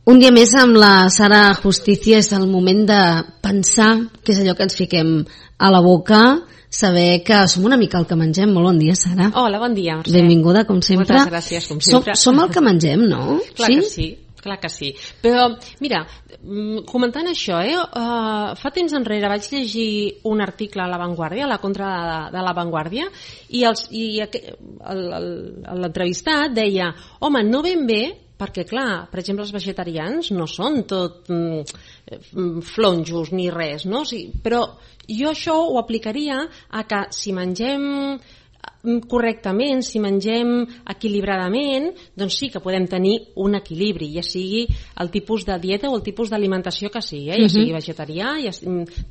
Un dia més amb la Sara Justicia. És el moment de pensar què és allò que ens fiquem a la boca, saber que som una mica el que mengem. Molt bon dia, Sara. Hola, bon dia, Mercè. Benvinguda, com sempre. Moltes gràcies, com sempre. Som el que mengem, no? Clar que sí. Clar que sí. Però, mira, comentant això, fa temps enrere vaig llegir un article a La Vanguardia, a la contra de La Vanguardia, i l'entrevistat deia, home, no ben bé, perquè clar, per exemple, els vegetarians no són tot flonjos ni res, no? Però jo això ho aplicaria a que si mengem correctament, si mengem equilibradament, doncs sí que podem tenir un equilibri, ja sigui el tipus de dieta o el tipus d'alimentació que sigui, ja sigui vegetarià,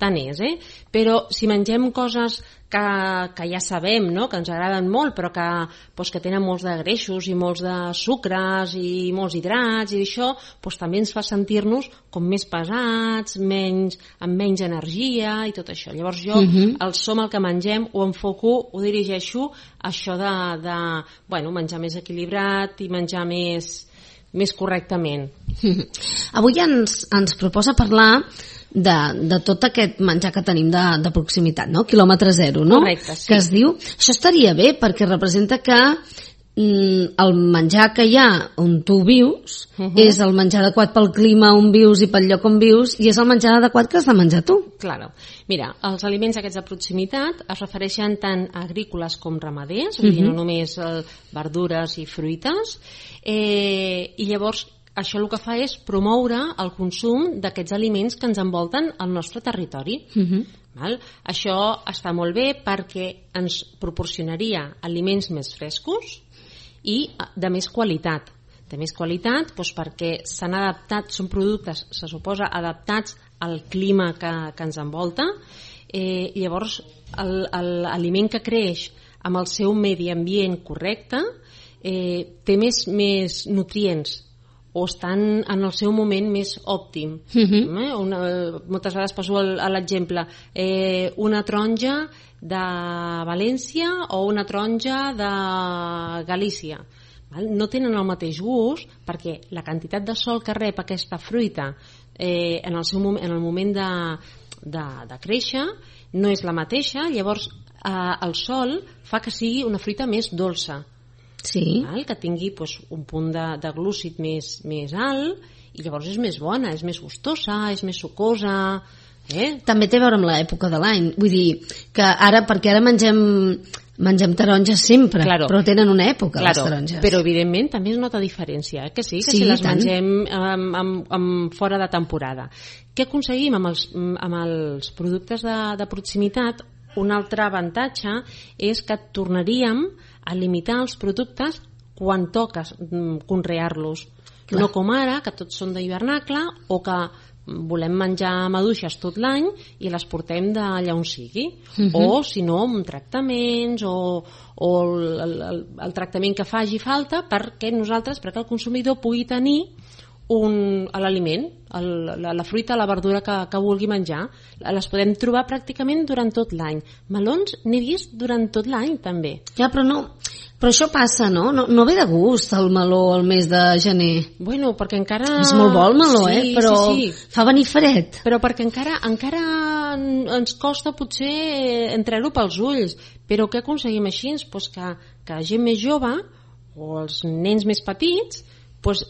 tant és, però si mengem coses que ja sabem, no? Que ens agraden molt, però que tenen molts de greixos i molts de sucres i molts hidrats i això, també ens fa sentir-nos com més pesats, amb menys energia i tot això. Llavors jo, el som el que mengem, ho enfoco, ho dirigeixo a això de menjar més equilibrat i menjar més correctament. Avui ens proposa parlar de tot aquest menjar que tenim de proximitat, no? Quilòmetre zero, no? Correcte, sí. Que es diu, això estaria bé perquè representa que el menjar que hi ha on tu vius és el menjar adequat pel clima on vius i pel lloc on vius, i és el menjar adequat que has de menjar tu. Claro. Mira, els aliments aquests de proximitat es refereixen tant a agrícoles com ramaders, vull dir, no només verdures i fruites, i llavors això el que fa és promoure el consum d'aquests aliments que ens envolten al nostre territori. Això està molt bé perquè ens proporcionaria aliments més frescos i de més qualitat. De més qualitat perquè s'han adaptat, són productes, se suposa, adaptats al clima que ens envolta. Llavors, l'aliment que creix amb el seu medi ambient correcte té més nutrients o estan en el seu moment més òptim. Moltes vegades poso l'exemple, una taronja de València o una taronja de Galícia. No tenen el mateix gust perquè la quantitat de sol que rep aquesta fruita en el moment de créixer no és la mateixa. Llavors el sol fa que sigui una fruita més dolça, que tingui un punt de glúcid més alt, i llavors és més bona, és més gustosa, és més sucosa. També té a veure amb l'època de l'any, vull dir que perquè ara mengem taronges sempre, però tenen una època les taronges. Però evidentment també es nota diferència, que sí, si les mengem fora de temporada. Què aconseguim amb els productes de proximitat? Un altre avantatge és que tornaríem a limitar els productes quan toca conrear-los. No com ara, que tots són d'hivernacle o que volem menjar maduixes tot l'any i les portem d'allà on sigui. O, si no, amb tractaments o el tractament que faci falta perquè el consumidor pugui tenir l'aliment, la fruita, la verdura que vulgui menjar. Les podem trobar pràcticament durant tot l'any. Melons n'he vist durant tot l'any també. Però això passa, no? No ve de gust el meló el mes de gener. Bueno, perquè encara... És molt bo el meló, però fa venir fred. Però perquè encara ens costa potser entrar-ho pels ulls. Però què aconseguim així? Que la gent més jove o els nens més petits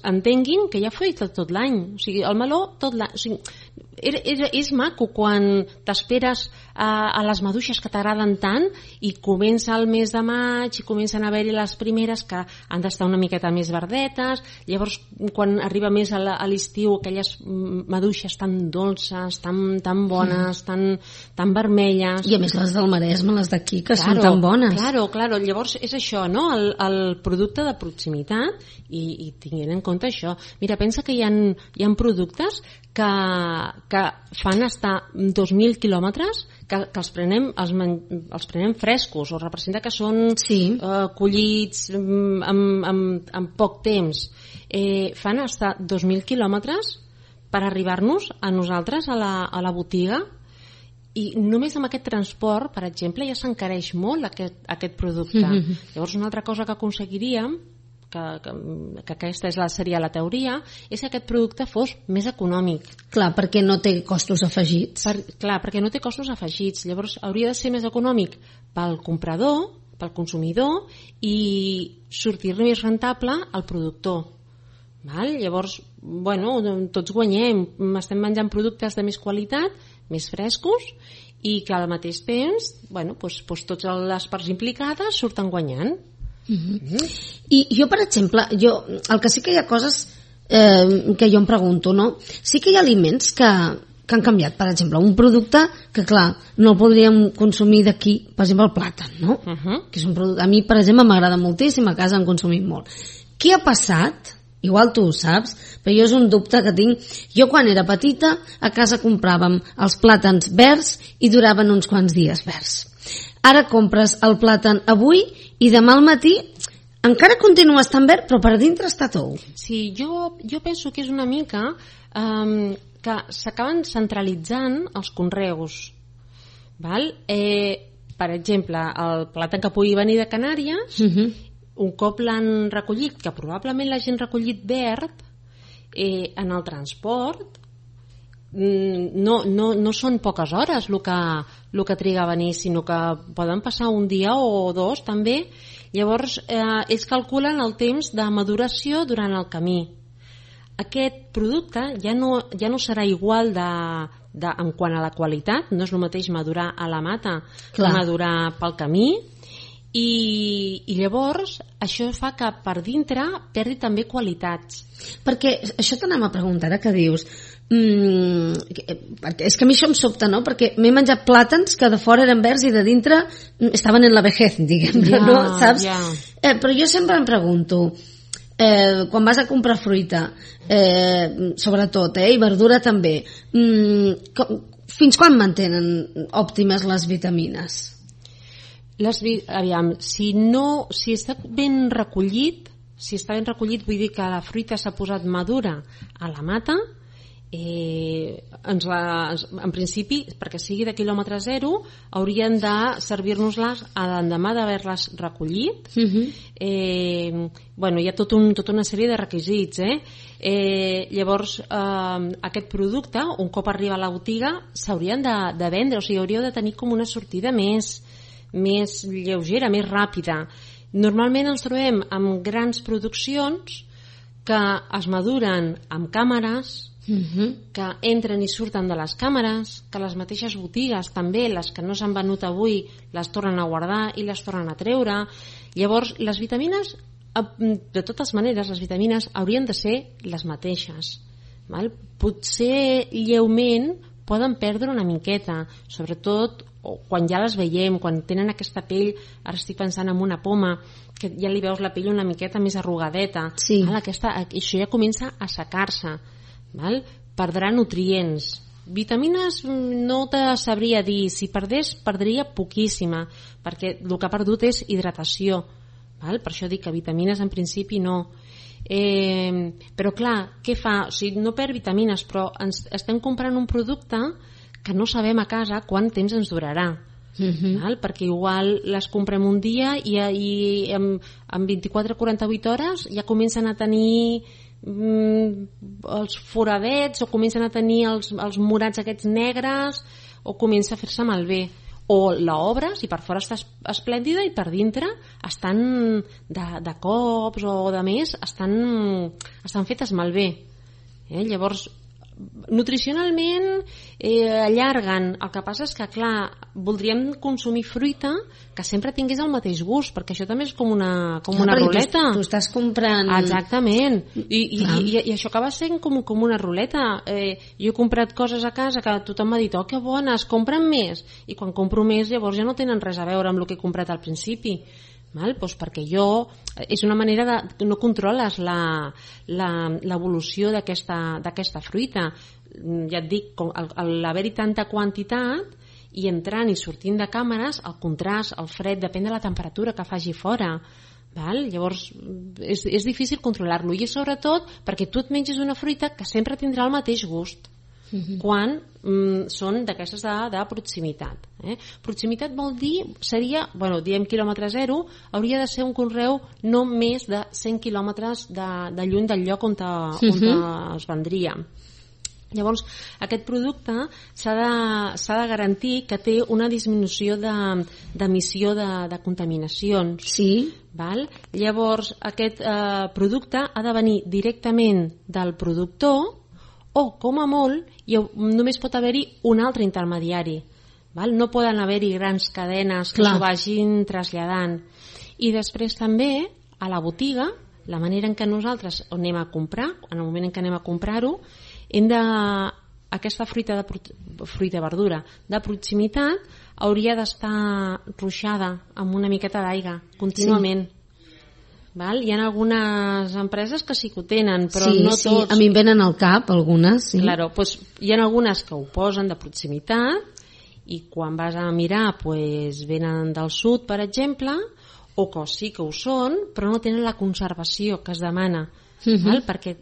entenguin que hi ha fruita tot l'any. O sigui, el meló tot l'any. És maco quan t'esperes a les maduixes que t'agraden tant i comença el mes de maig i comencen a haver-hi les primeres que han d'estar una miqueta més verdetes. Llavors, quan arriba més a l'estiu, aquelles maduixes tan dolces, tan bones, tan vermelles. I a més les del Maresme, les d'aquí, que són tan bones. Claro. Llavors és això, no? El producte de proximitat, i tinguent en compte això. Mira, pensa que hi ha productes que fan estar 2.000 quilòmetres, que els prenem frescos, o representa que són collits en poc temps. Fan estar 2.000 quilòmetres per arribar-nos a nosaltres a la botiga, i només amb aquest transport, per exemple, ja s'encareix molt aquest producte. Llavors, una altra cosa que aconseguiríem que aquesta seria la teoria, és que aquest producte fos més econòmic. Clar, perquè no té costos afegits. Clar, perquè no té costos afegits. Llavors hauria de ser més econòmic pel comprador, pel consumidor, i sortir-li més rentable al productor. Val? Llavors, bueno, tots guanyem, estem menjant productes de més qualitat, més frescos, i que al mateix temps, bueno, doncs totes les parts implicades surten guanyant. I jo, per exemple, el que sí que hi ha coses que jo em pregunto, no? Sí que hi ha aliments que han canviat. Per exemple, un producte que, clar, no el podríem consumir d'aquí, per exemple, el plàtan, no? Que és un producte, a mi, per exemple, m'agrada moltíssim, a casa en consumim molt. Què ha passat? Igual tu ho saps, però jo és un dubte que tinc. Jo quan era petita a casa compràvem els plàtans verds i duraven uns quants dies verds. Ara compres el plàtan avui i demà al matí encara continua estant verd, però per dintre està tou. Sí, jo penso que és una mica que s'acaben centralitzant els conreus. Val? Per exemple, el plàtan que pugui venir de Canàries, un cop l'han recollit, que probablement l'hagin recollit verd, en el transport, no són poques hores el que triga a venir, sinó que poden passar un dia o dos també. Llavors ells calculen el temps de maduració durant el camí. Aquest producte ja no serà igual en quant a la qualitat, no és el mateix madurar a la mata que madurar pel camí, i llavors això fa que per dintre perdi també qualitats. Perquè això t'anem a preguntar, ara que dius, perquè és que a mi això em sobta, no? Perquè m'he menjat plàtans que de fora eren verds i de dintre estaven en la vejez, diguem-ne, no? Saps? Però jo sempre em pregunto, quan vas a comprar fruita, sobretot, i verdura també, fins quan mantenen òptimes les vitamines? Aviam, si està ben recollit, vull dir que la fruita s'ha posat madura a la mata, en principi, perquè sigui de quilòmetre zero, haurien de servir-nos-les a l'endemà d'haver-les recollit. Bueno, hi ha tota una sèrie de requisits, llavors aquest producte, un cop arriba a la botiga, s'haurien de vendre, o sigui, hauríeu de tenir com una sortida més lleugera, més ràpida. Normalment ens trobem amb grans produccions que es maduren amb càmeres, que entren i surten de les càmeres, que les mateixes botigues també, les que no s'han venut avui, les tornen a guardar i les tornen a treure. Llavors, les vitamines, de totes maneres, les vitamines haurien de ser les mateixes. Val? Potser lleument poden perdre una miqueta, sobretot quan ja les veiem, quan tenen aquesta pell, ara estic pensant en una poma, que ja li veus la pell una miqueta més arrugadeta. Sí. Això ja comença a assecar-se. Perdrà nutrients. Vitamines no te sabria dir, si perdria poquíssima, perquè el que ha perdut és hidratació. Per això dic que vitamines en principi no. Però clar, què fa? O sigui, no perd vitamines, però estem comprant un producte que no sabem a casa quant temps ens durarà. Perquè igual les comprem un dia i en 24-48 hores ja comencen a tenir els foradets, o comencen a tenir els morats aquests negres, o comença a fer-se malbé. O l'obres i per fora està esplèndida i per dintre estan de cops o de més, estan fetes malbé. Llavors, nutricionalment allarguen. El que passa és que, clar, voldríem consumir fruita que sempre tingués el mateix gust, perquè això també és com una ruleta. Tu estàs comprant... Exactament. I això acaba sent com una ruleta. Jo he comprat coses a casa que tothom m'ha dit, oh, que bones, compren més. I quan compro més, llavors ja no tenen res a veure amb el que he comprat al principi. Doncs perquè és una manera de no controles l'evolució d'aquesta fruita. Ja et dic, l'haver-hi tanta quantitat i entrant i sortint de càmeres, el contrast, el fred, depèn de la temperatura que faci fora. Llavors és difícil controlar-lo, i sobretot perquè tu et menges una fruita que sempre tindrà el mateix gust. quan són d'aquestes de proximitat. Proximitat vol dir, diem quilòmetre zero, hauria de ser un conreu no més de 100 quilòmetres de lluny del lloc on es vendria. Llavors, aquest producte s'ha de garantir que té una disminució d'emissió de contaminacions. Sí. Val? Llavors, aquest producte ha de venir directament del productor o, com a molt, només pot haver-hi un altre intermediari. Val? No poden haver-hi grans cadenes que s'ho vagin traslladant. I després també, a la botiga, la manera en què nosaltres anem a comprar, en el moment en què anem a comprar-ho, aquesta fruita verdura de proximitat hauria d'estar ruixada amb una miqueta d'aigua contínuament. Val? Hi ha algunes empreses que sí que ho tenen, però no tots. A mi em venen al cap algunes. Sí. Claro, pues, hi ha algunes que ho posen de proximitat i quan vas a mirar venen del sud, per exemple, o que sí que ho són, però no tenen la conservació que es demana. Val? Perquè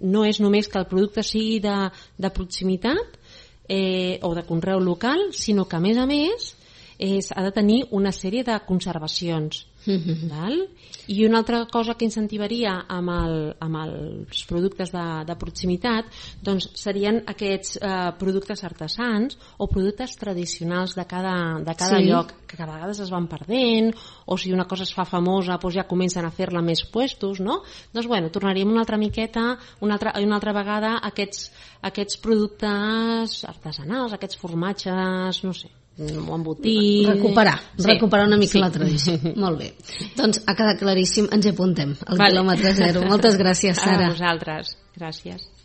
no és només que el producte sigui de proximitat o de conreu local, sinó que a més ha de tenir una sèrie de conservacions. Val? I una altra cosa que incentivaria amb els productes de proximitat doncs serien aquests productes artesans o productes tradicionals de cada lloc, que a vegades es van perdent, o si una cosa es fa famosa doncs ja comencen a fer-la més puestos, no? Doncs tornaríem una altra miqueta, una altra vegada a aquests productes artesanals, aquests formatges, no sé, o embotits... Recuperar una mica la tradició. Molt bé. Doncs ha quedat claríssim, ens hi apuntem, al quilòmetre zero. Moltes gràcies, Sara. A vosaltres. Gràcies.